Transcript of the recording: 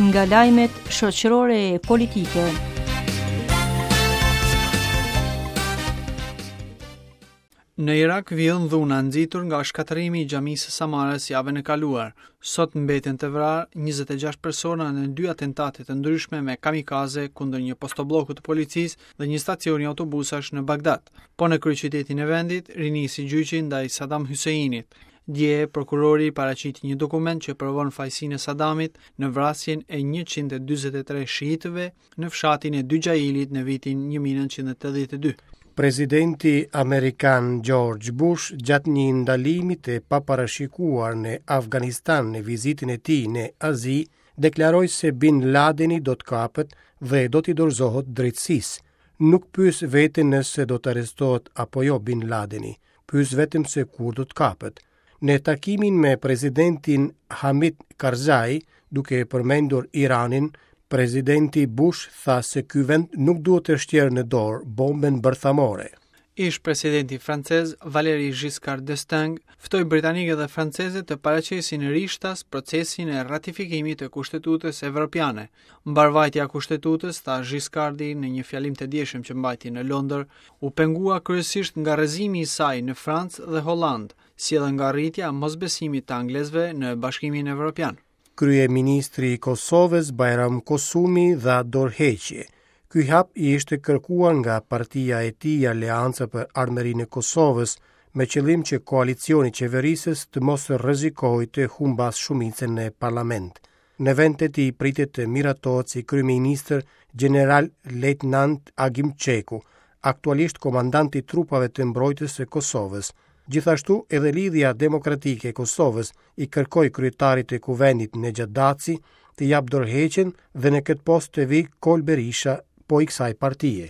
Nga lajmet shoqërore e politike. Në Irak vijon dhuna e nxitur nga shkatërrimi i xhamisë së Samarës javën e kaluar. Sot mbeten të vrarë 26 persona në dy atentate të ndryshme me kamikaze kundër një postoblloku të policisë dhe një stacioni autobusash në Bagdad. Po në kryeqytetin e vendit, rinisi gjyqi ndaj Saddam Husseinit. Dje, prokurori paraqiti një dokument që provon fajësinë e Saddamit në vrasjen e 143 shiitëve në fshatin e Dyxhailit në vitin 1982. Presidenti amerikan George Bush gjatë një ndalimi të paparashikuar në Afganistan në vizitën e tij në Azi, deklaroi se Bin Ladeni do të kapet dhe do t'i dorëzohet drejtësisë. Nuk pyes veten nëse do të arrestohet apo jo Bin Ladeni, pyes vetëm se kur do të kapet. Në takimin me presidentin Hamid Karzai, duke përmendur Iranin, presidenti Bush tha se ky vend nuk duhet të shtjerë në dorë bombën bërthamore. Ish-presidenti francez Valéry Giscard d'Estaing ftoi britanikët dhe francezët të paraqesin rishtas procesin e ratifikimit të Kushtetutës Evropiane. Mbarëvajtja e Kushtetutës, tha Giscardi në një fjalim të djeshëm që mbajti në Londër, u pengua kryesisht nga rrëzimi i saj në Francë dhe Hollandë, si edhe nga rritja e mosbesimit të anglezëve në Bashkimin Evropian. Kryeministri i Kosovës, Bajram Kosumi, dha dorëheqje. Ky hap i ishte kërkuar nga partia e tij Aleanca për Ardhmërinë e Kosovës, me qëllim që koalicioni qeverisës të mos rrezikojë të humbasë shumicën në parlament. Në vend të tij pritet të miratohet si kryeministër gjeneral lejtnant Agim Çeku, aktualisht komandant i trupave të mbrojtjes së Kosovës. Gjithashtu edhe Lidhja Demokratike e Kosovës i kërkoi kryetarit të Kuvendit Nexhat Daci të japë dorëheqjen dhe në këtë post të vijë Kolë Berisha po i kësaj partie.